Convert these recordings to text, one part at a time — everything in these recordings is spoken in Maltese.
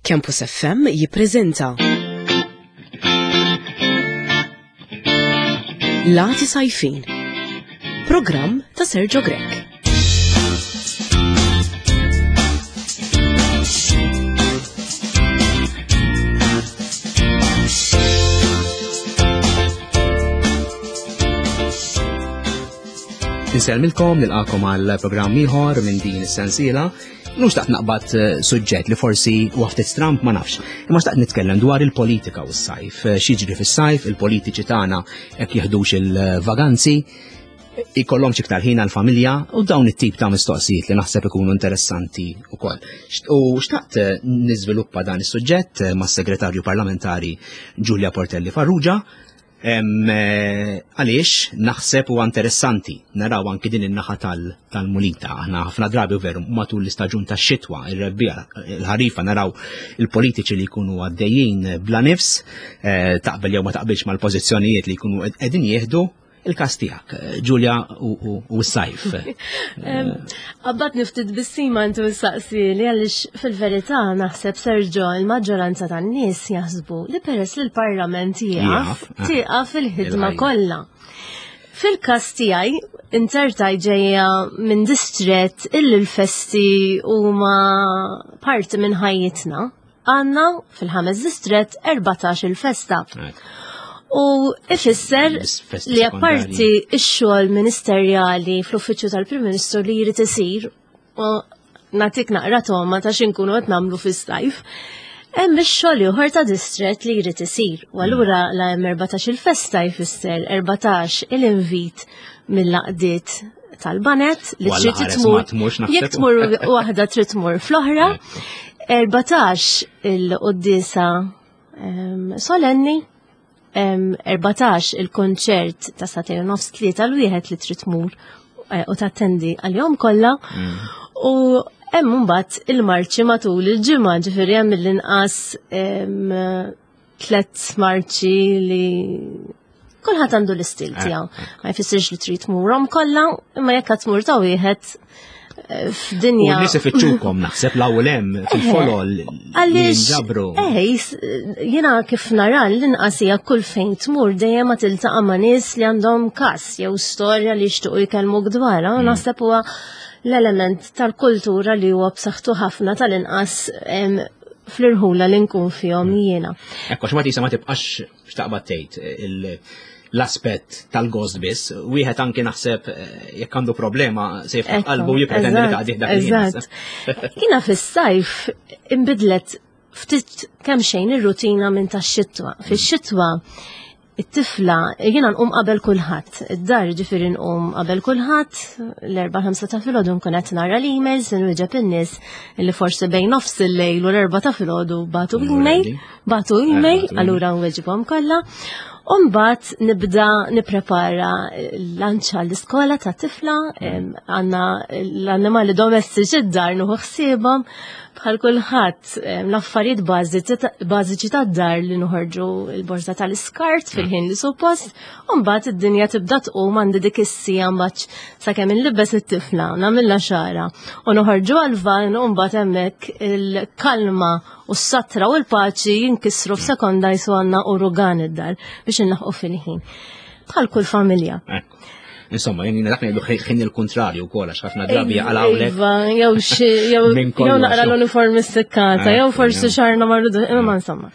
Campus FM jippreżenta Lati Sajfin Programm ta' Sergio Grech. Insellmilkom nilqakom għal programm ieħor minn din is-sensiela. Mhux taqt naqbad eh, suġġett li forsi huwa ftit stramp ma nafx. Imma xtaqt nitkellem dwar il-politika u s-sajf. Eh, x'jiġri fis-sajf, il-politiċi tagħna hekk jiħdux il-vaganzi, ikollhom iktar ħin għall-familja u dawn it-tip ta' mistoqsijiet li naħseb ikunu interessanti wkoll. U xtaqt eh, niżviluppa dan is-suġġett mas-Segretarju Parlamentari Giulia Portelli Farrugia Eh, għaliex naħseb huwa interessanti naraw anki din in-naħa tal-munita. Aħna ħafna drabi veru matul l-istaġun tax-xitwa, ir-rebbija, il-ħarifa naraw il-politiċi li jkunu għaddejjin bla nifs, eh, taqbel jew ma taqbilx mal-pożizzjonijiet li jkunu qegħdin jieħdu, il-kas tijak, Ġulja u s-sajf. Qabbat niftit bissima intu saqsi li għalix fil-verità naħseb Sergio il-maġġoranza tan-nies jaħsbu li peress li l-Parlament jieqaf, eh. tieqaf il-ħidma kollha. Fil-kas tiegħi inzertaj ġejja minn distret illi l-festi huma parti minn ħajjitna. Għanna fil-ħames distret 14 il-festa. U ifisser li apparti x-xogħol ministerjali fl-uffiċċju tal-Prim Ministru li jrid isir u nagħtik naqra toma ta' x'inkunu qed nagħmlu fis-sajf. Hemm ix-xogħol ieħor ta' distret li jrid isir. U allura la hemm 14 il-festa jfisser 14 il-invit mill-laqdiet tal-banet li trid tmur. Jekk tmur waħda trid tmur fl-oħra. 14 il-qoddisa ehm, solenni, 14 il-konċert ta' satejn nofs tlieta l-wieħed li trid tmur eh, u tattendi għal-jom kollha. Mm. U hemm mbagħad il-marċi matul il-ġimgħa, ġifieri hemm l-inqas ehm, tlet marċi li kulħadd għandu l-istil eh, tiegħu. Eh. Ma jfissirx li trid tmurhom kollha, imma jekk qed tmur ta' wieħed eh, f'dinja. U nies ifittxukom naħseb l-ewwel hemm fil-folol. Għaliex. Eh, jiena kif nara l-inqas hija kull fejn tmur dejjem ma tiltaqa' ma' nies li għandhom każ jew storja li jixtiequ jkellmuk dwarha, mm. naħseb huwa l-element tal-kultura li huwa b'saħħtu ħafna tal-inqas fl-irħula li nkun fihom mm. jiena. Ekku, x'ma tisa ma tibqax x'taqbad tgħid l-aspett tal-gost biss, wieħed anki naħseb eh, jekk għandu problema se jiftaħ qalbu jippretendi li taqdih dak Eżatt. Jiena fis-sajf imbidlet ftit kemm xejn ir-rutina minn tax-xitwa. Fix-xitwa it-tifla, jiena nqum qabel kulħadd. Id-dar ġifieri nqum qabel kulħadd, l-erba' ħamsa ta' filgħodu nkun qed nara l-emails, inwieġeb in-nies li forsi bejn nofs il-lejl u l-erba' ta' filgħodu batu email, batu email, allura nweġibhom kollha. U mbagħad nibda nipprepara l-lanċa l-iskola ta' tifla, għandna l-annimali domestiċi d-dar nuħu ħsiebhom bħal kulħadd l-affarijiet bażiċi tad-dar li noħorġu l-borża tal-iskart fil-ħin li suppost, u mbagħad id-dinja tibda tqum għandi dik is-sija mbagħad sakemm inlibbes it-tifla, nagħmilha xara u noħorġu għall-van u mbagħad hemmhekk il-kalma u s-satra u l-paċi jinkisru f'sekonda jisu għandna urugan id-dar biex inlaħqu fil-ħin. Bħal kull familja. Eh. Insomma, jien dak ngħidu ħin il-kontrarju wkoll għax ħafna drabi għalawlek. Iva, jew xi jew jew naqra l-uniformi sikkata, eh, jew forsi xarna marrudu, imma insomma.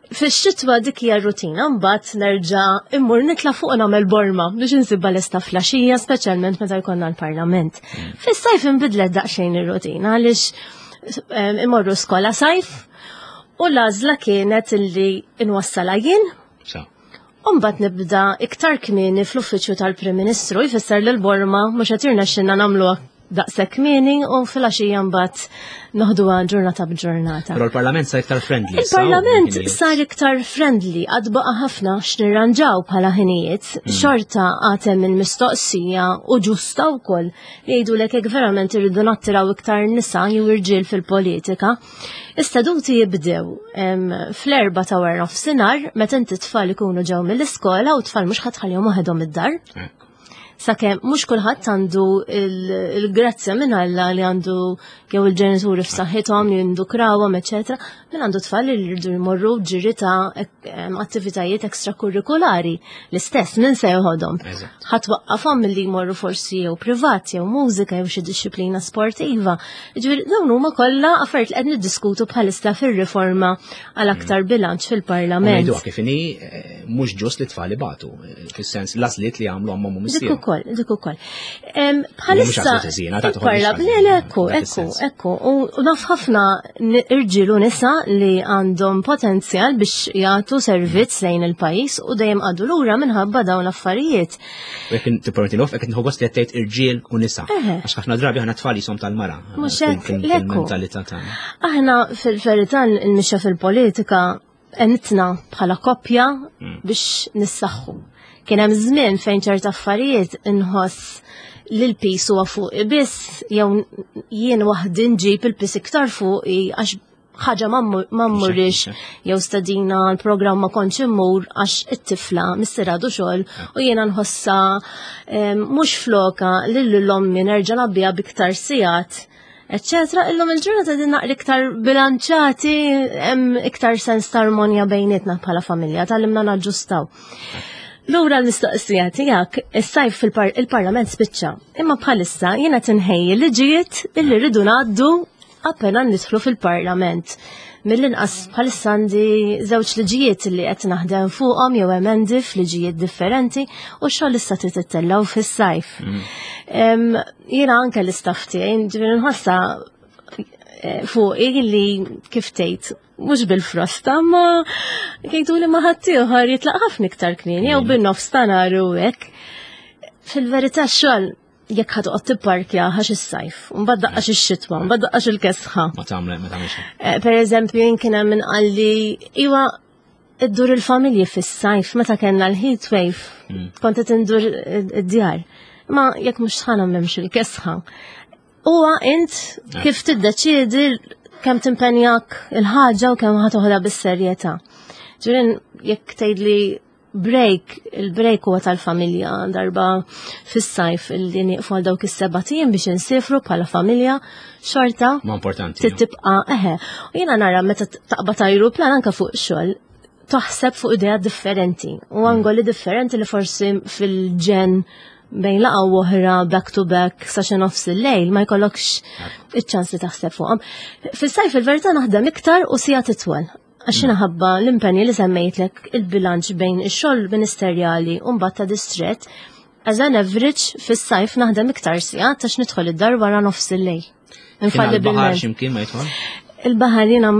Fix-xitwa dik hija rutina, mbagħad nerġa' immur nitla' fuq nagħmel borma biex insibha lesta flaxija, speċjalment meta jkollna l-parlament. Mm. Fis-sajf inbidlet daqsxejn ir-rutina għaliex eh, imorru skola sajf u l-għażla kienet illi inwassala jien U mbagħad nibda iktar kmieni fl-uffiċċju tal-Prim Ministru jfisser li l-borma mhux qed jirnexxinna nagħmluha daqshekk kmieni u filgħaxija mbagħad noħduha ġurnata b'ġurnata. Però l-Parlament sar iktar friendly. Il-Parlament sar iktar friendly għad baqa' ħafna x'nirranġaw bħala ħinijiet, mm. xorta għad hemm il-mistoqsija u ġusta wkoll li jgħidulek jekk verament irridu nattiraw iktar nisa jew irġiel fil-politika. Is-seduti jibdew fl-erba ta' wara nofsinhar meta inti tfal ikunu ġew mill-iskola u tfal mhux ħadd ħallihom waħedhom id-dar. Sakemm mhux kulħadd għandu il-grazzja minn Alla li għandu jew il-ġenituri f'saħħithom li jindukrawhom, eċetera, min għandu tfal li jridu jmorru ġiri ta' attivitajiet ekstrakurrikulari. L-istess min se joħodhom. Ħadd waqqafhom milli jmorru forsi jew privat jew mużika jew xi dixxiplina sportiva. Ġifieri dawn huma kollha affarijiet li qed niddiskutu bħalissa fir-riforma għal aktar bilanċ fil-Parlament. Ngħiduha kif inhi eh, mhux ġust li tfal ibatu, eh, fis-sens l-għażliet li għamlu għamhom u missier. Dik ukoll, dik ukoll. Bħalissa parla le le ekku, ekku, ekku. U naf ħafna irġiel u nisa li għandhom potenzjal biex jagħtu servizz lejn il-pajjiż u dejjem għadu lura minħabba dawn l-affarijiet. U jekk tippermetti nof, jekk nħu gost li qed tgħid irġiel u nisa. Għax ħafna drabi aħna tfal jisom tal-mara. Mhux hekk, l-ekku. Aħna fil-verità il-mixja fil-politika għenitna bħala koppja biex nissaħħu. Kien hemm żmien fejn ċerta affarijiet inħoss li l-pis huwa fuqi biss jew jien waħdi nġib il-pis iktar fuqi għax ħaġa ma mmurrix jew stadina l-programm ma kontx immur għax it-tifla missierha għadu xogħol u jiena nħossha mhux floka lil l-ommi nerġa' nabbiha biktar sigħat eccetera. Illum il-ġurnata din naqra iktar bilanċati, hemm iktar sens ta' armonja bejnietna bħala familja, tallimna naġġustaw. Lura l-mistoqsija tiegħek, is-sajf fil-parlament spiċċa, imma bħalissa jiena tinħejji liġijiet illi rridu ngħaddu appena nidħlu fil-parlament. Mill-inqas bħalissa għandi żewġ liġijiet li qed naħdem fuqhom jew emendi f'liġijiet differenti u x-xogħol issa trid ittellgħu fis-sajf. Jiena anke l-istaff tiegħi, ġifieri nħossha eh, fuqi li kif tgħid mhux bil-frosta, ma kejtu li ma ħaddieħor jitlaq ħafna iktar kmieni jew bin-nofs ta' nhar u hekk. Fil-verità x-xogħol jekk ħad toqgħod tipparkja għax is-sajf, u mbagħad daqqax ix-xitwa, mbagħad daqqax il-kesħa. Ma tagħmel, ma tagħmel xejn. Eh, per eżempju, jien kien hemm min qalli iwa iddur il-familji fis-sajf meta kellna l-heat wave, kont qed indur id-djar. Ma jekk mhux sħana m'hemmx il-kesħa. Huwa int eh. kif tiddeċiedi kemm timpenjak il-ħaġa u kemm ħa bis-serjetà. Ġirin jekk tgħidli break, il-break huwa tal-familja darba fis-sajf illi nieqfu għal dawk is-seba' ijiem biex insifru bħala familja xorta. Ma importanti. Tibqa' eħe. U jiena nara meta taqbad ajruplan anke fuq xogħol taħseb fuq idea differenti u angoli differenti li forsi fil-ġen bejn laqa u oħra back to back sa xi nofs il-lejl ma jkollokx iċ-ċans li taħseb fuqhom. Fis-sajf il-verità naħdem iktar u sija titwal. Għax ħabba l-impenji li semmejtlek il-bilanċ bejn ix-xogħol ministerjali u mbagħad ta' distrett, as an average fis-sajf naħdem iktar sigħat għax nidħol id-dar wara nofs il-lejl. Infalli bil-baħar x'imkien ma jidħol? Il-baħar jiena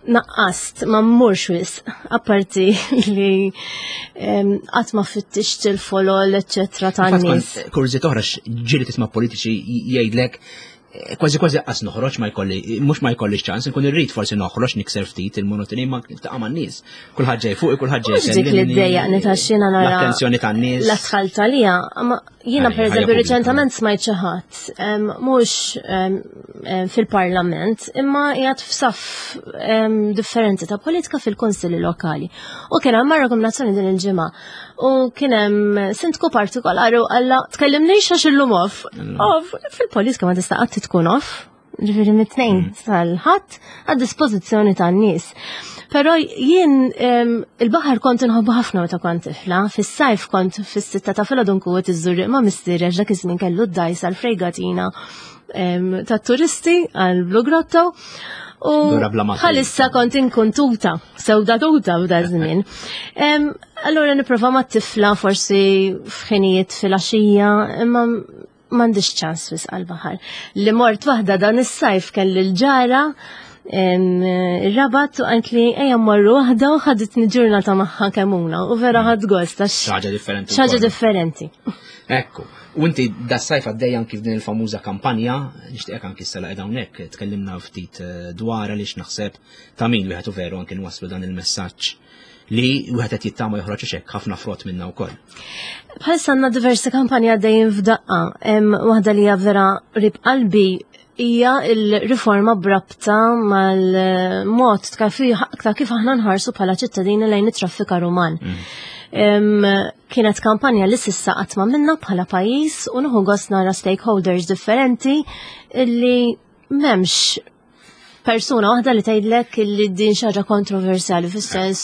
naqqast ma mmurx wisq, apparti li qatt ma fittixt il-folol, eċċetera tan-nies. Kurżiet oħra ġieli tisma' politiċi jgħidlek Eh, kważi kważi qas noħroġ ma jkolli, mhux ma jkollix ċans, nkun irrid forsi noħroġ nikser ftit il-monotoni ma niltaqa' man-nies. Kulħadd ġej fuq, kulħadd ġej. Dik li ddejjaqni ta' xina nara. L-attenzjoni tan-nies. L-atħal talija, ma jiena pereżempju riċentament smajt xi ħadd mhux fil-Parlament, imma qiegħed f'saff differenti ta' politika fil-kunsilli lokali. U kien hemm rakkomandazzjoni din il-ġimgħa U kien hemm sindku partikolari u qalla tkellimniex għax illum off. Off, fil-politika ma tista' qatt tkun off. Ġifieri mit-tnejn mm. sal-ħadd għad-dispożizzjoni tan-nies. Però jien il-baħar kont inħobbu ħafna meta kont tifla, fis-sajf kont fis-sitta ta' filgħodu nkun qed iżżurriq ma' missieri għax dak iż-żmien kellu d-dajs għall-frejgatina tat-turisti għal Blue Grotto. U bħalissa kont inkun tuta, sewda tuta f'da żmien. Allura nipprova ma' tifla forsi f'ħinijiet fil-għaxija, imma m'għandix ċans wis għal-baħar. Li mort waħda dan is-sajf kelli l-ġara ir-rabat u għant li ejja morru waħda u ħaditni ġurnata magħha kemuna u vera ħadd gost għax. Xaġa differenti. Xaġa differenti. Ekku, u inti da sajf għaddej anki f'din il-famuża kampanja, nixtieqek anki s-sala qiegħda hawnhekk, tkellimna ftit eh, dwar għaliex naħseb ta' min wieħed u veru anki nwasslu dan il-messaġġ li wieħed qed jittama joħroġ hekk ħafna frott minna wkoll. Bħalissa għandna diversi kampanji għaddejjin f'daqqa, waħda li hija vera rib qalbi hija l-riforma brabta mal-mod ta' kif aħna nħarsu bħala ċittadini lejn it-traffikar uman. Mm. Kienet kampanja li s'issa qatt ma minna bħala pajjiż u nieħu gost nara stakeholders differenti illi m'hemmx persuna waħda li tgħidlek li din xi ħaġa kontroversjali fis-sens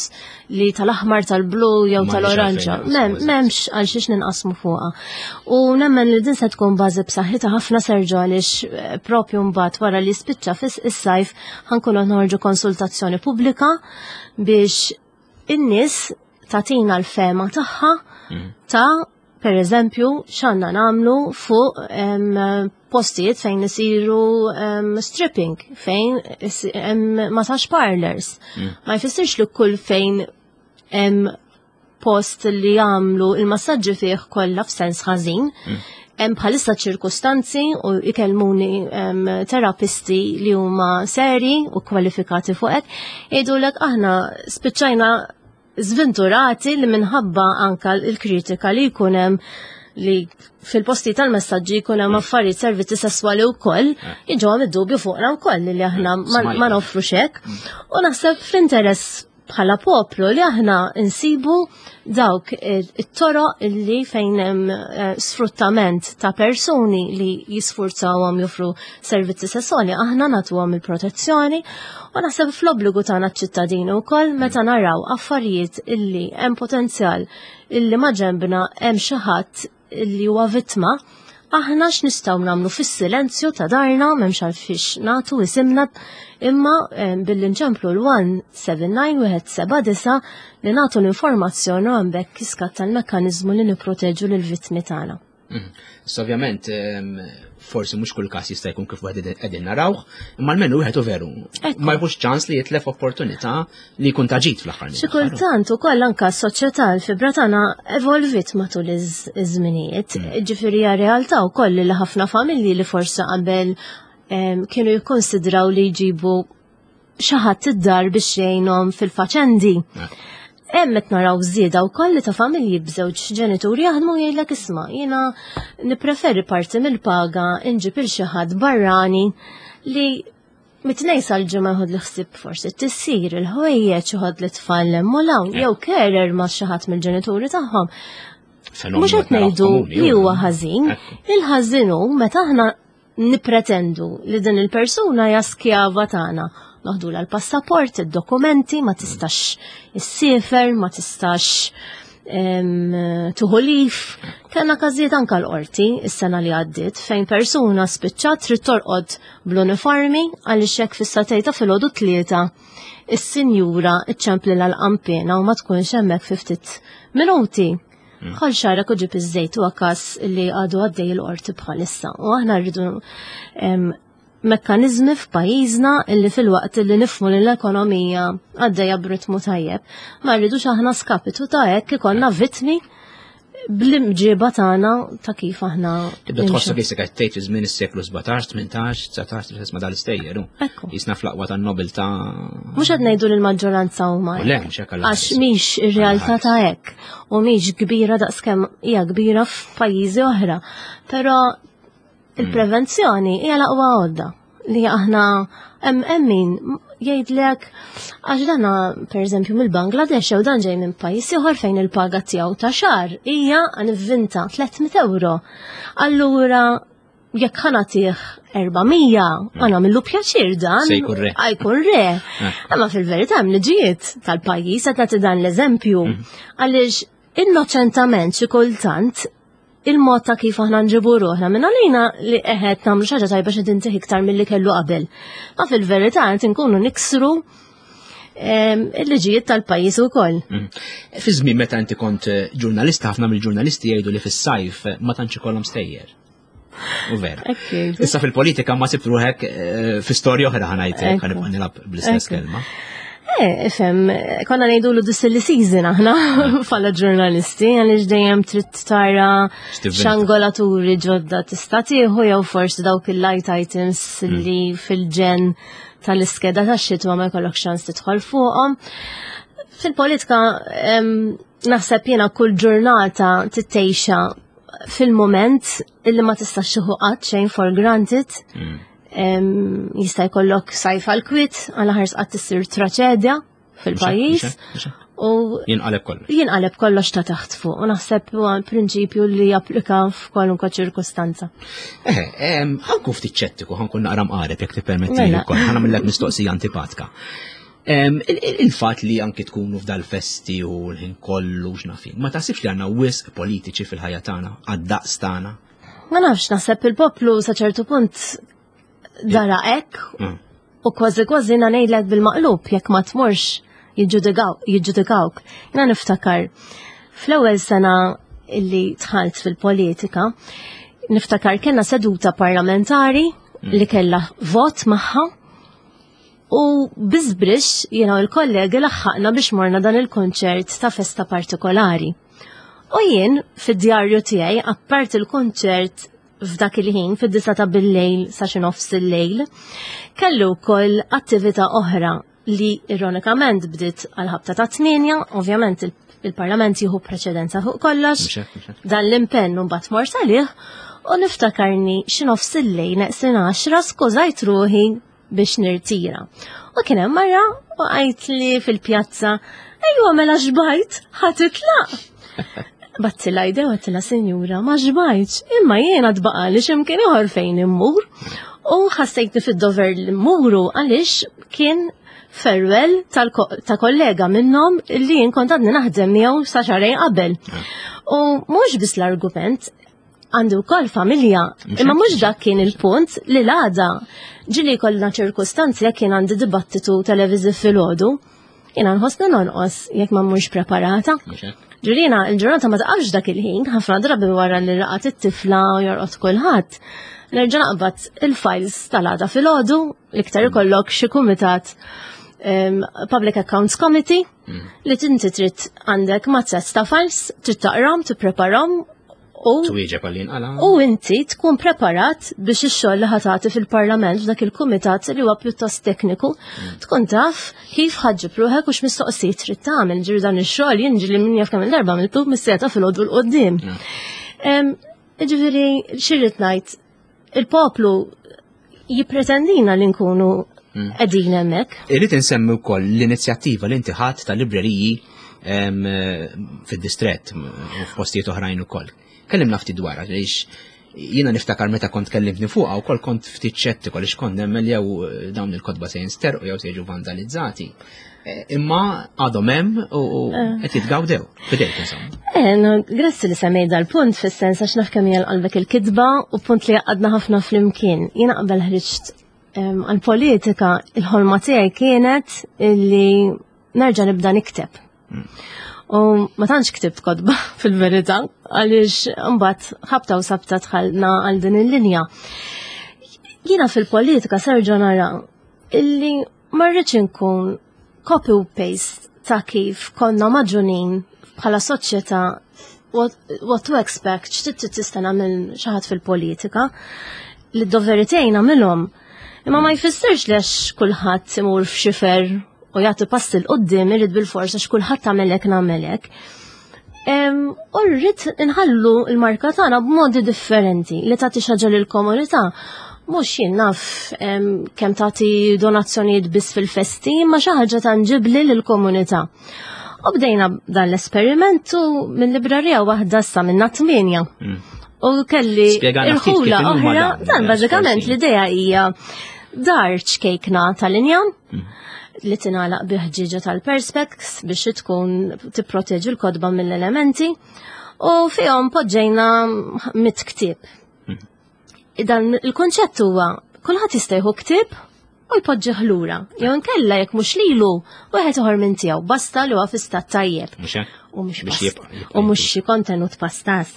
li tal-aħmar tal-blu jew tal-oranġa. M'hemmx għal xiex ninqasmu fuqha. U nemmen li din se tkun bażi b'saħħitha ħafna Serġo għaliex eh, propju mbagħad wara li spiċċa fis is-sajf ħankunu noħorġu konsultazzjoni pubblika biex in-nies tagħtina l-fema tagħha mhm. ta' per eżempju, x'għandna nagħmlu fuq postijiet fejn isiru stripping, fejn massage parlors. Mm. Ma jfissirx li kull fejn hemm post li jagħmlu il-massaġġi fih kollha f'sens ħażin. Mm. Hemm bħalissa ċirkustanzi u ikellmuni terapisti li huma seri u kwalifikati fuq hekk, jgħidulek aħna spiċċajna żventurati li minħabba anka l-kritika li jkun hemm li fil-posti tal-messaġġi jkun hemm affarijiet servizzi sesswali wkoll, eh. jiġu għam id-dubju fuqna wkoll li aħna ma noffru xek. Mm. U naħseb fl-interess bħala poplu li aħna nsibu dawk it-toroq li fejn hemm eh, sfruttament ta' persuni li jisfurzawhom joffru servizzi sesswali, aħna nagħtuhom il-protezzjoni u naħseb fl-obbligu tagħna ċ-ċittadini wkoll meta naraw affarijiet illi hemm potenzjal illi ma ġembna hemm xi ħadd illi huwa vittma, aħna x'nistgħu nagħmlu fis-silenzju ta' darna m'hemmx għalfiex nagħtu isimna imma eh, billi nċemplu l-179 179 li nagħtu l-informazzjoni u hemmhekk iskatta l-mekkaniżmu li nipproteġu lill-vittmi tagħna. Mhm. Issa ovvjament ehm, forsi mhux kull każ jista' jkun kif wieħed qegħdin narawh, imma almenu wieħed u veru. Ma jħux ċans li jitlef opportunità li jkun taġit fl-aħħar. Xi kultant ukoll anke s-soċjetà l-fibra tagħna evolvit matul iż-żminijiet. Mm. Ġifieri hija realtà wkoll li ħafna familji li forsi qabel ehm, kienu jikkonsidraw li jġibu xi ħadd id-dar biex jgħinhom fil-faċendi. Hemm qed naraw żieda wkoll li ta' familji b'żewġ ġenituri jaħdmu jgħidlek isma' jiena nippreferi parti mill-paga inġib il xi ħadd barrani li mit-tnejn sal-ġimgħa jħod li ħsieb forsi tissir il-ħwejjeġ joħod li tfal hemm u hawn jew carer ma' xi ħadd mill-ġenituri tagħhom. Mhux qed ngħidu li huwa ħażin, il-ħażin hu meta aħna nippretendu li din il-persuna hija skjava tagħna. Noħdulha l-passaport, id-dokumenti, ma tistax issiefer, ma tistax tuħu lif. Kellna każijiet anka l-qorti is-sena li għaddiet fejn persuna spiċċat trid torqod bl-uniformi għaliex hekk fis-satejta filgħodu tlieta is-sinjura iċċemplilha l-qanpiena u ma tkunx hemmhekk fi ftit minuti. Mm. Ħol xarek u ġib iż-żejt huwa każ li għadu għaddej il-qorti bħalissa. U aħna rridu mekkaniżmi f'pajjiżna illi fil-waqt li nifmu li l-ekonomija għaddejja b'ritmu tajjeb, ma rridux aħna skapitu ta' hekk ikollna vittmi bl-imġiba tagħna ta' kif aħna. Tibda tħossok jisek qed tgħid fi żmien is-seklu 17, 18, 19, tisma' dal-istejjer. Jisna fl-aqwa tan-nobiltà. Mhux qed ngħidu li l-maġġoranza huma. Le, mhux hekk Għax mhix ir-realtà ta' hekk u mhix kbira daqskemm hija kbira f'pajjiżi oħra. Però il-prevenzjoni hija l-aqwa għodda li aħna hemm min jgħidlek għax dana pereżempju mill-Bangladesh jew dan ġej minn pajjiż ieħor fejn il-paga tiegħu ta' xahar hija nivvinta 300 euro. Allura jekk ħa nagħtih 400 ħa nagħmillu pjaċir dan. Se jkun re. Jkun re. Eh. Imma fil-verità hemm liġijiet tal-pajjiż qed nagħti dan l-eżempju. Mhm. Għaliex innoċentament xi kultant il-mod ta' kif aħna nġibu ruħna minn għalina li eħed nagħmlu xi ħaġa tajba xi tintih iktar milli kellu qabel. Ma fil-verità qed inkunu niksru il-liġijiet tal-pajjiż ukoll. Mm. Fi żmien meta inti kont eh, ġurnalista ħafna mill-ġurnalisti jgħidu li fis-sajf eh, ma tantx ikollhom stejjer. U vera. Issa fil-politika ma sibt ruħek eh, fi storja oħra ħanajtek, ħanibqa' nilgħab bl-istess kelma. Eh, ifhem, konna ngħidu l silly season aħna bħala ġurnalisti, għaliex dejjem trid tara xangolaturi ġodda tista' tieħu jew forsi dawk il-light items mm. li fil-ġen tal-iskeda tax-xitwa ma jkollok ċans tidħol fuqhom. Fil-politika naħseb jiena kull ġurnata tittejxa fil-moment illi ma tistax tieħu qatt xejn for granted. Mm. Jista' jkollok sajf għal kwit, għal ħars qatt issir traċedja fil-pajjiż. U jinqaleb kollox. Jinqaleb kollox ta' taħt fuq u naħseb huwa prinċipju li japplika f'kwalunkwe ċirkustanza. Eh, ħankun ftit ċettiku, ħankun naqra mqareb jekk tippermetti mela. wkoll, ħa nagħmellek mistoqsija antipatka. Il-fatt li anki tkunu f'dal-festi u l-ħin kollu x'nafin, ma taħsibx li għandna wisq politiċi fil-ħajja tagħna, għad-daqs tagħna? Ma nafx, naħseb il-poplu sa ċertu punt dara hekk u kważi kważi jiena ngħidlek bil-maqlub jekk ma tmurx jiġġudikawk. Jiena niftakar fl-ewwel sena illi dħalt fil-politika, niftakar kellna seduta parlamentari li kellha vot magħha u biżbrix jiena u l-kollegi laħħaqna biex morna dan il-konċert ta' festa partikolari. U jien fid-djarju tiegħi apart il-konċert f'dak il-ħin fid-disa ta' bil-lejl sa xi nofs il-lejl, kellu wkoll attività oħra li ironikament bdiet għal ħabta ta' 8, ovvjament il-Parlament jieħu preċedenza fuq kollox, dan l-impenn mbagħad mort għalih u niftakarni xi nofs il-lejl neqsin 10 skużajt ruħi biex nirtira. U kien hemm mara u għajt li fil-pjazza, ejwa mela xbajt, ħa titlaq. Battila jdew għattila sinjura, ma xbajtx, imma jiena tbaqali x'imkien ieħor fejn immur. U ħassejtni fid-dover li mmuru għaliex kien farewell ta' kollega minnhom li jien kont għadni naħdem miegħu sa xahrejn qabel. U mhux biss l-argument, għandi wkoll familja, imma mhux dak kien il-punt li l-għada ġili kollna ċirkustanzi jekk kien għandi dibattitu televiżiv filgħodu, jiena nħossni nonqos jekk ma mmurx preparata. Ġurina, il-ġurnata ma taqafx dak il-ħin, ħafna drabi wara li raqat it-tifla u jorqod kulħadd. Nerġa' naqbad il-files tal-għada filgħodu, l-iktar ikollok xi kumitat Public Accounts Committee li tinti trid għandek mazzett ta' files, trid taqrom, tippreparhom u twieġeb għal jinqala. U inti tkun preparat biex ix-xogħol li ħatati fil-Parlament f'dak il-kumitat li huwa pjuttost tekniku, tkun taf kif ħaġġib ruħek u x'mistoqsijiet trid tagħmel. Ġifieri dan ix-xogħol jien ġieli min jaf kemm il-darba għamiltu mis-seta filgħodu l quddiem. Ġifieri xi rrid ngħid, il-poplu jippretendina li nkunu qegħdin hemmhekk. Irrid insemmi wkoll l-inizjattiva li inti ħadd ta' libreriji fid-distrett u f'postijiet oħrajn ukoll. Kellimna ftit dwarha għaliex jiena niftakar meta kont kellimtni fuqha wkoll kont ftit xettiku għaliex kont nemmen li jew dawn il-kotba se jinsterqu jew se jiġu vandalizzati. Imma għadhom hemm u qed jitgawdew f'idejk insomma. No, grazzi li semmejt dal-punt fis-sens għax naf kemm hija qalbek il-kitba u punt li għadna ħafna flimkien. Jiena qabel ħriġt għal-politika il-ħolma tiegħi kienet illi nerġa' nibda nikteb. U ma tantx ktibt kotba fil-verità għaliex mbagħad ħabta u sabta dħalna għal din il-linja. Jiena fil-politika serġa' nara illi ma rridx inkun copy u paste ta' kif konna maġunin bħala soċjetà what to expect, x'trid tista' minn xi ħadd fil-politika, li d-doveri tiegħi nagħmilhom. Imma ma jfissirx li għax kulħadd imur f'xifer u jagħti pass 'il quddiem irid bil-forsa għax kulħadd għamelek nagħmelek. U rrid inħallu l-marka tagħna b'modi differenti li tagħti xi ħaġa lill-komunità. Mhux jien naf kemm tagħti donazzjonijiet biss fil-festi, imma xi ħaġa tanġibli lill-komunità. U bdejna dan l-esperimentu minn librarija waħda sa minna 8. U kelli Spjegana ftit kif irħula inhuma oħra, dawn, dan bażikament forsi. l-idea hija dar ċkejkna tal-injam li tingħalaq bi ħġieġa tal-perspex biex tkun tipproteġi l-kotba mill-elementi u fihom poġġejna 100 ktieb. Dan il-konċett huwa kulħadd jista' jieħu ktieb u jpoġġih lura. Jew inkella jekk mhux lilu, wieħed ieħor minn tiegħu, basta li huwa fi stat tajjeb. Mhux hekk? U mhux Biex jibqa' u mhux xi kontenut pastas.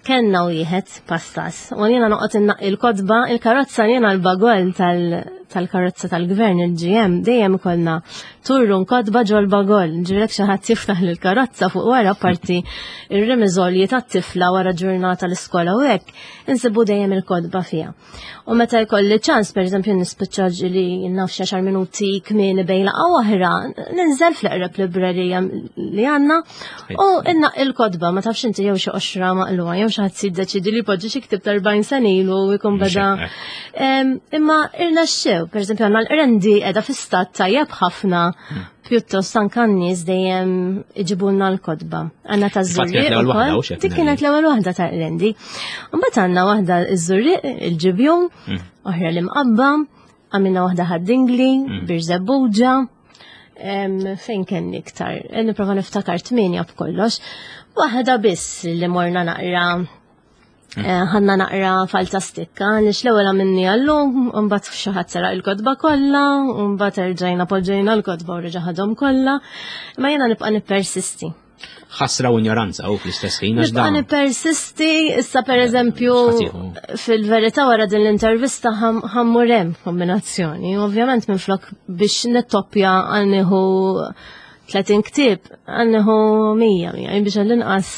Kenna wieħed pastas. U jiena noqgħod innaqqi l-kotba, il-karozza jiena l-bagol tal-karozza tal-gvern il-GM dejjem ikollna turrun kotba ġol bagol. Ġirek xi ħadd jiftaħ lill-karozza fuq wara parti ir-remiżolji tat-tifla wara ġurnata l-iskola u hekk, insibu dejjem il-kotba fiha. U meta jkolli ċans, per eżempju, nispiċċa ġili naf xi għaxar minuti kmieni bejn laqgħa oħra, ninżel fl-eqreb librerija li għandna U inna il-kotba, ma tafx inti jew xi qoxra maqluha, jew xi ħadd jiddeċiedi li jpoġġi xi ktieb ta' 40 sena ilu u jkun beda. Imma irnexxew, pereżempju għandna l-qrendi qiegħda fi stat tajjeb ħafna, pjuttost anke n-nies dejjem iġibulna l-kotba. Għandna ta' Żurrieq ukoll. Dik kienet l-ewwel waħda ta' qrendi. Mbagħad għandna waħda ż-Żurrieq, il-Ġibjun, oħra l-Imqabba, għamilna waħda Ħad-Dingli, Birżebbuġa. Fejn kenni iktar? Nipprova niftakar 8 b'kollox. Waħda biss li morna naqra ħanna naqra falta stikka, għaliex l-ewwel għamilni għallum, u mbagħad xi ħadd seraq il-kotba kollha, u mbagħad erġajna poġġejna l-kotba u reġa' ħadhom kollha. Imma jiena nibqa' nippersisti. Ħasra u ignoranza u fl-istess ħin għax Nibqa' dawn. nippersisti, issa pereżempju X'ħatiħu? fil-verità wara din l-intervista ħammur hemm kombinazzjoni. Ovvjament minflok biex nittoppja għal nieħu 30 ktieb, għal nieħu 100, 100, biex għall-inqas.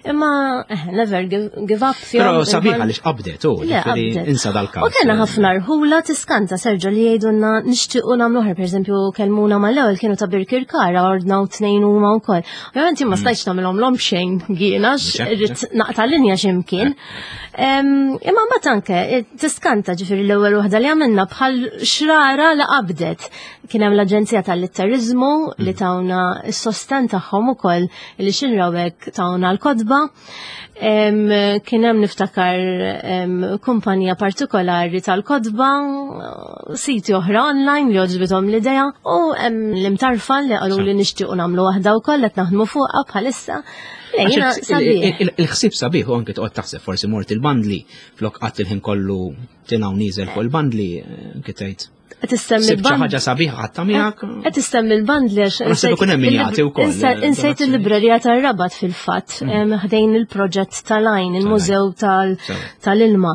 Imma never give up fihom. Però sabiħ għaliex qabdet, u, Le, ġifieri qabdet. insa dal-każ. U kena ħafna rħula tiskanta, Sergio, li jgħidulna nixtiequ nagħmlu oħra, pereżempju kellmuna mal-ewwel kienu ta' Birkirkara, ordnaw 2 huma wkoll. Ovvjament jien ma stajtx nagħmilhom l-om xejn jiena, Mhux hekk, irrid naqta' linja x'imkien. Imma mbagħad anke tiskanta, ġifieri l-ewwel waħda li għamilna bħal xrara li qabdet. Kien hemm l-Aġenzija tal-Litteriżmu li tawna s-sosten tagħhom ukoll li xinrawek tawna l-kotba. Kien hemm niftakar kumpanija partikolari tal-kotba, siti oħra online li għoġbithom l-idea, u hemm l-imtarfa li qalu li nixtiequ nagħmlu waħda wkoll qed naħdmu fuqha bħalissa. Le, Għax jiena sabiħ. il-ħsieb sabiħ u anke toqgħod taħseb forsi mort il-bandli flok qatt il-ħin kollu tilgħu nieżel fuq il-bandli, anke tgħid. Qed issemmi Sibt xi l-band- ħaġa sabiħa ħadd miegħek. Qed issemmi l-bandli għax Naħseb ikun hemm min jagħti wkoll, insejt donazzjoni. il-librerija tar-Rabat fil-fatt, ħdejn il-proġett tal-għajn, il-mużew tal-ilma. Tal-ilma.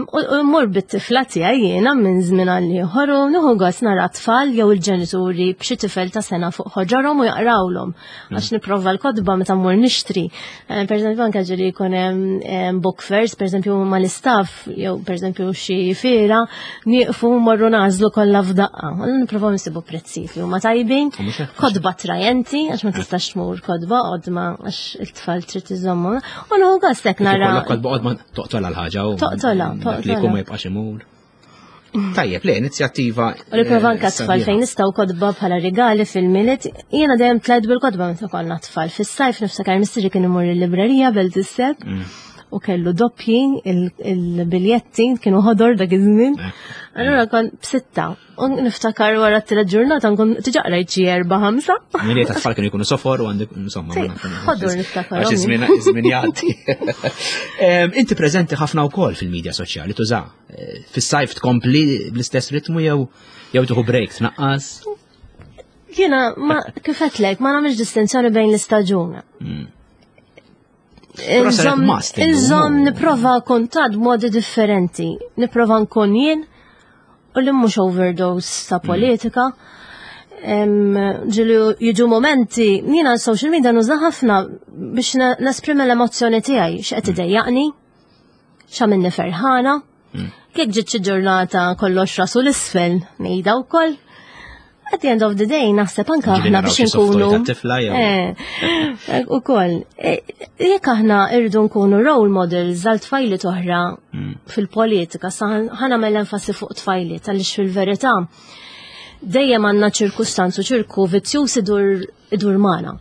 U mmur bit-tifla tiegħi jiena minn żmien għal ieħor u nieħu gost nara tfal jew il-ġenituri b'xi tifel ta' sena fuq ħoġorhom u jaqrawlhom. Għax nipprova l-kotba meta mmur nixtri. Per eżempju, anke ġieli jkun hemm book fairs, per eżempju mal-istaff, jew per eżempju xi fiera, nieqfu morru nagħżlu kollha f'daqqa. Allura nipprovaw nsibu prezzijiet li huma tajbin, U mhux hekk, kotba attrajenti, għax ma tistax tmur kotba qodma għax it-tfal trid iżommu. U nieħu gost hekk nara. Ikollok kotba qodma toqtolha l-ħaġa u Toqtolha, dak li toqtolha. jkun ma jibqax imur. Tajjeb, le, inizjattiva, U nipprova anke tfal sabiħa. fejn nistgħu kotba bħala rigali fil-Milied. Jiena dejjem tlajt bil-kotba meta konna tfal. Fis-sajf niftakar missieri kien imur il-librerija Belt is-Sebħ u kellu doppji il-biljetti kienu ħodor dak iż-żmien. Allura kon b'6. U niftakar wara t-tielet ġurnata nkun diġà qrajt xi 4 5. Milli ta' tfal kienu jkunu sofor u għandek, insomma, Sì, ma nafx. ħodur niftakar, Għax ommi. iż-żmien jgħaddi. Inti preżenti ħafna wkoll fil-medja soċjali, tuża. Fis-sajf tkompli bl-istess ritmu jew tieħu break tnaqqas? Jiena ma kif għedtlek, ma nagħmilx distinzjoni bejn l-istaġuna. Però saret must illum. Inżomm nipprova kuntatt b'modi differenti. Nipprova nkun jien u li mhux overdose ta' politika. Ġieli jiġu momenti, jiena social media nuża ħafna biex nesprimi l-emozzjoni tiegħi, x'qed idejjaqni, x'għamilni ferħana. Kif ġiet xi ġurnata kollox rasu l-isfel, ngħidha wkoll. At the end of the day, naħseb anka Ġieli aħna naraw biex xi soft toy nkunu tat-tifla jew- Ukoll. Jekk aħna rridu nkunu role models għal tfajliet oħra fil-politika, sa ħa nagħmel enfasi fuq tfajliet, għaliex fil-verità dejjem għandna ċirkustanzu, ċirku vizzjuż idur magħna.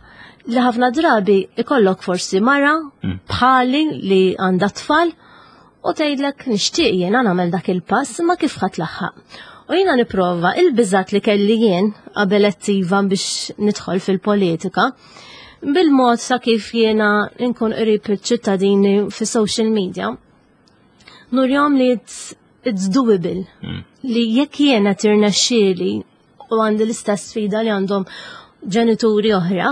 Li ħafna drabi ikollok forsi mara bħali li għandha tfal u tgħidlek nixtieq jiena nagħmel dak il-pass ma kif ħadd laħħaq. U jiena nipprova il-biżat li kelli jien qabel attiva biex nidħol fil-politika, bil-mod sa kif jiena nkun qrib iċ-ċittadini fi social media, nurjom li it's doable. Li jekk jiena tirnexxieli u għandi l-istess sfida li għandhom ġenituri oħra,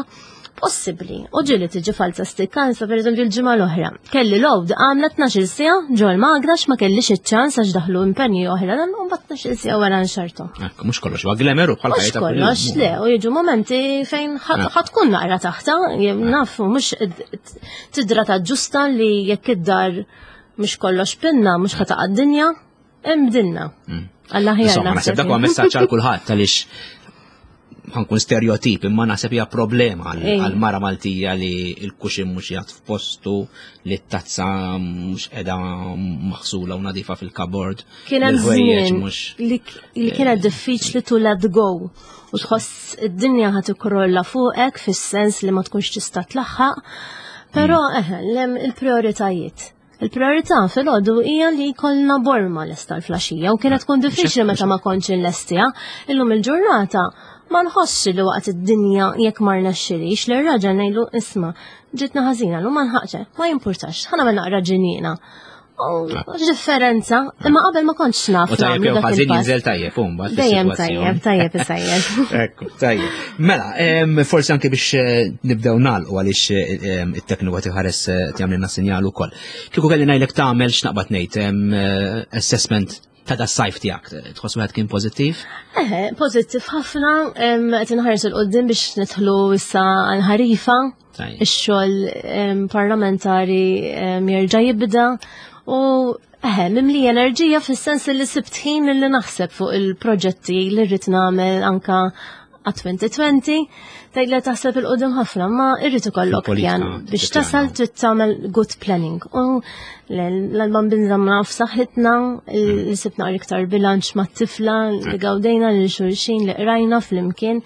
possibbli. U ġieli tiġi falsa stikkanza, per eżempju l-ġimgħa l-oħra. Kelli load għamla tnax-il siegħa ġol magrax ma kellix iċ-ċans għax daħlu impenji oħra, dan u mbagħad tnax-il siegħa wara nxartu. Ekku, mhux kollox huwa glamour u bħal Mhux ħajja ta' kuljum. kollox, le, u jiġu momenti fejn ħa tkun naqra taħta, jew naf, mhux tidra ta' ġusta li jekk id-dar mhux kollox pinna, mhux ħa taqa' d-dinja, imbdilna. Alla ħjar Insomma, naħseb naħseb dak huwa jien. messaġġ għal kulħadd għaliex ħankun stereotip imma naħseb hija problema għal mara Maltija li l-kuxin mhux jgħat f'postu, li t-tazza mhux qiegħda maħsula u nadifa fil-kabord. Kien hemm żmien li kienet diffiċli to let go u tħoss id-dinja ħad ikrolla fuqek fis-sens li ma tkunx tista' tlaħħaq. Però mm. eħe, il-prioritajiet. Il-priorità fil-ħodu hija li jkollna borma lesta l-flaxija u kienet tkun diffiċli meta ma kontx inlestiha. Illum il-ġurnata ma nħossx li waqt id-dinja jekk ma rnexxilix li r-raġel ngħidlu isma' ġitna ħażina l ma nħaqx, ma jimpurtax, ħa nagħmel naqra ġinina. Differenza, imma qabel ma kontx naf. U tajjeb jew ħażin jinżel tajjeb, u mbagħad. Dejjem tajjeb, tajjeb isajjed. Ekku, tajjeb. Mela, forsi anke biex eh, nibdew nagħlqu għaliex eh, it-tekniku qed iħares eh, tagħmlilna sinjal ukoll. Kieku kelli ngħidlek tagħmel x'naqbad ngħid assessment ta' da sajf tiegħek, tħoss wieħed kien pożittiv? Eħe, pożittiv ħafna, qed inħares il qudiem biex nidħlu issa għal-ħarifa. Ix-xogħol parlamentari jerġa' jibda u eħe, mimli enerġija fis-sens li sibt ħin li naħseb fuq il-proġetti li rrid nagħmel anka għat-2020, tgħid li taħseb il-qudiem ħafna, ma irrid ikollok pjan biex tasal trid tagħmel good planning. U l-bambin żamna f'saħħitna, li sibna iktar bilanċ mat-tifla, li gawdejna lil xulxin li qrajna flimkien.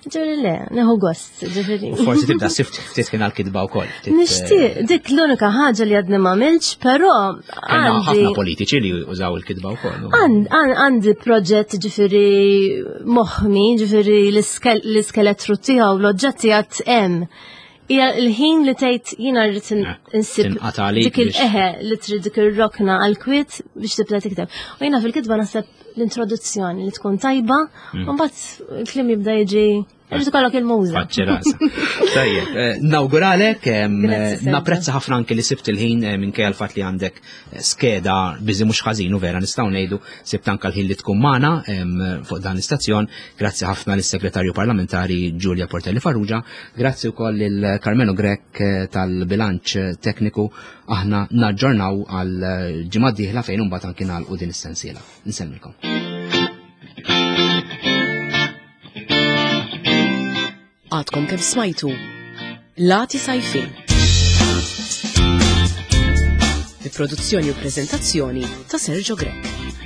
Ġifieri le, neħu gost. Ġifieri. Forsi tibda sift ftit kien għal-kitba wkoll. Nixtieq, eh, dik l-unika ħaġa li għadni m'għamilx, però għandi. Ħafna politiċi li użaw il-kitba wkoll. Għandi proġett ġifieri moħmi, ġifieri l-iskeletru tiegħu l-oġġetti għad hemm. Hija l-ħin li tgħid jiena rrid eh, insib dik il-eħe li trid dik ir-rokna għal-kwiet biex tibda tikteb. U jiena fil-kitba naħseb l-introduzzjoni li tkun tajba, mm. u mbagħad il-kliem jibda jiġi Irrid ikollok il-muża. Tajjeb, eh, nawguralek, eh, napprezza ħafna anke li sibt il-ħin eh, minkejja l-fatt li għandek skeda biżi mhux ħażin u vera nistgħu ngħidu sibt anke l-ħin li tkun magħna fuq dan l-istazzjon. Grazzi ħafna lis-Segretarju Parlamentari Giulia Portelli Farrugia, grazzi wkoll lil Carmelo Grech tal-bilanċ tekniku aħna naġġornaw għal ġimgħa dieħla fejn imbagħad anke nagħlqu din is-sensiela. Nsemmilkom. Għadkom kemm smajtu Lati Sajfin. Bi produzzjoni u prezentazzjoni ta' Sergio Grech.